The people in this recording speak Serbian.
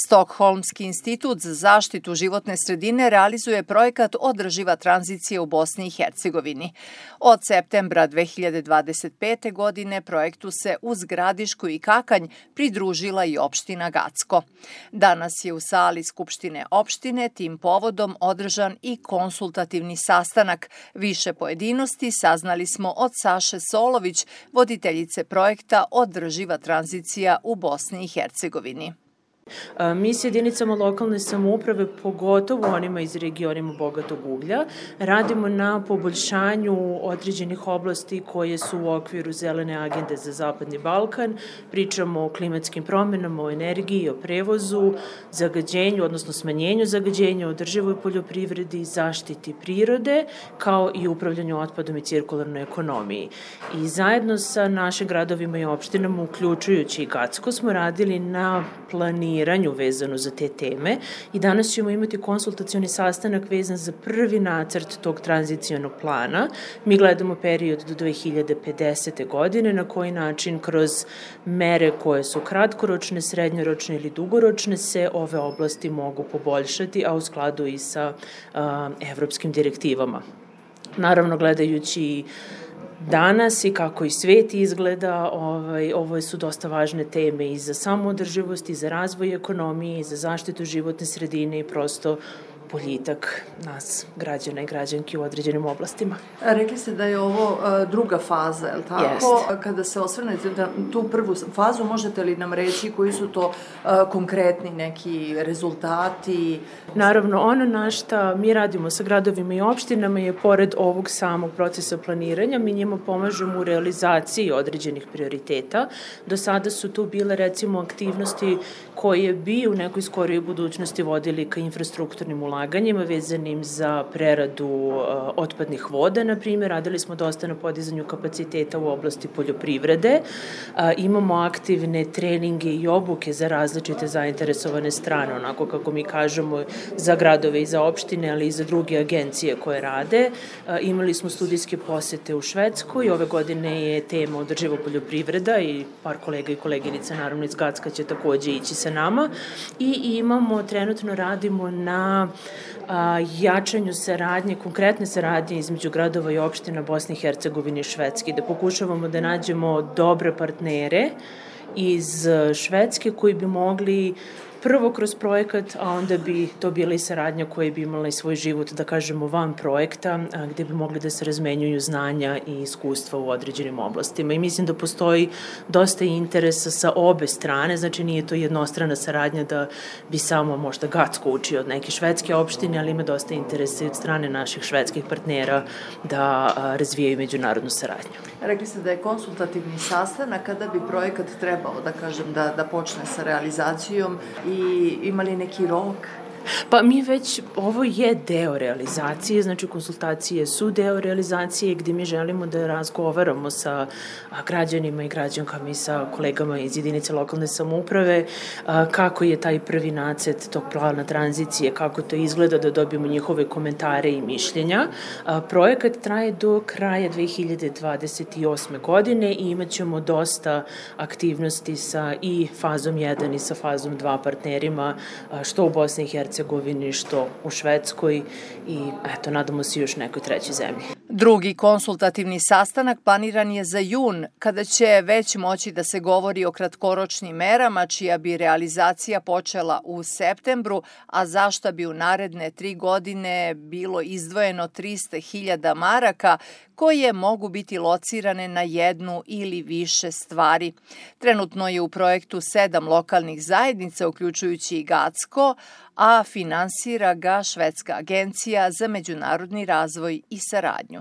Stokholmski institut za zaštitu životne sredine realizuje projekat Održiva tranzicija u Bosni i Hercegovini. Od septembra 2025. godine projektu se uz Gradišku i Kakanj pridružila i opština Gacko. Danas je u sali Skupštine opštine tim povodom održan i konsultativni sastanak. Više pojedinosti saznali smo od Saše Solović, voditeljice projekta Održiva tranzicija u Bosni i Hercegovini. Mi s jedinicama lokalne samouprave, pogotovo onima iz regionima bogatog uglja, radimo na poboljšanju određenih oblasti koje su u okviru zelene agende za Zapadni Balkan. Pričamo o klimatskim promenama, o energiji, o prevozu, zagađenju, odnosno smanjenju zagađenja, održivoj poljoprivredi, zaštiti prirode, kao i upravljanju otpadom i cirkularnoj ekonomiji. I zajedno sa našim gradovima i opštinama, uključujući i Gacko, smo radili na planiranju vezano za te teme i danas ćemo imati konsultacioni sastanak vezan za prvi nacrt tog tranzicionog plana. Mi gledamo period do 2050. godine, na koji način kroz mere koje su kratkoročne, srednjoročne ili dugoročne se ove oblasti mogu poboljšati, a u skladu i sa evropskim direktivama. Naravno, gledajući danas i kako i svet izgleda, ovo su dosta važne teme i za samoodrživost, i za razvoj ekonomije, i za zaštitu životne sredine i prosto boljitak nas, građana i građanki u određenim oblastima. Rekli ste da je ovo druga faza, je li tako? Jest. Kada se osvrnete na tu prvu fazu, možete li nam reći koji su to konkretni neki rezultati? Naravno, ono na šta mi radimo sa gradovima i opštinama je, pored ovog samog procesa planiranja, mi njima pomažemo u realizaciji određenih prioriteta. Do sada su tu bile, recimo, aktivnosti koje bi u nekoj skorijoj budućnosti vodili ka infrastrukturnim ulaganjima vezanim za preradu otpadnih voda, na primjer. Radili smo dosta na podizanju kapaciteta u oblasti poljoprivrede. Imamo aktivne treninge i obuke za različite zainteresovane strane, onako kako mi kažemo, za gradove i za opštine, ali i za druge agencije koje rade. Imali smo studijske posete u Švedskoj. Ove godine je tema održiva poljoprivreda i par kolega i koleginica, naravno iz Gacka, će takođe ići sa nama. I trenutno radimo na jačanju saradnje, konkretne saradnje između gradova i opština Bosne i Hercegovine i Švedske, da pokušavamo da nađemo dobre partnere iz Švedske koji bi mogli prvo kroz projekat, a onda bi to bila i saradnja koja bi imala i svoj život, da kažemo, van projekta, gde bi mogli da se razmenjuju znanja i iskustva u određenim oblastima. I mislim da postoji dosta interesa sa obe strane, znači nije to jednostrana saradnja da bi samo možda Gacko učio od neke švedske opštine, ali ima dosta interesa od strane naših švedskih partnera da razvijaju međunarodnu saradnju. Rekli ste da je konsultativni sastanak, kada bi projekat trebao, da kažem, da počne sa realizacijom i imali neki rok? Pa mi već, ovo je deo realizacije, znači konsultacije su deo realizacije gde mi želimo da razgovaramo sa građanima i građankama i sa kolegama iz jedinice lokalne samouprave, kako je taj prvi nacrt tog plana tranzicije, kako to izgleda, da dobijemo njihove komentare i mišljenja. Projekat traje do kraja 2028. godine i imat ćemo dosta aktivnosti sa i fazom 1 i sa fazom 2 partnerima, što u Bosni i Hercegovini, što u Švedskoj i eto, nadamo se još nekoj trećoj zemlji. Drugi konsultativni sastanak planiran je za jun, kada će već moći da se govori o kratkoročnim merama, čija bi realizacija počela u septembru, a za šta bi u naredne 3 godine bilo izdvojeno 300.000 maraka, koje mogu biti locirane na jednu ili više stvari. Trenutno je u projektu 7 lokalnih zajednica, uključujući i Gacko, a finansira ga Švedska agencija za međunarodni razvoj i saradnju.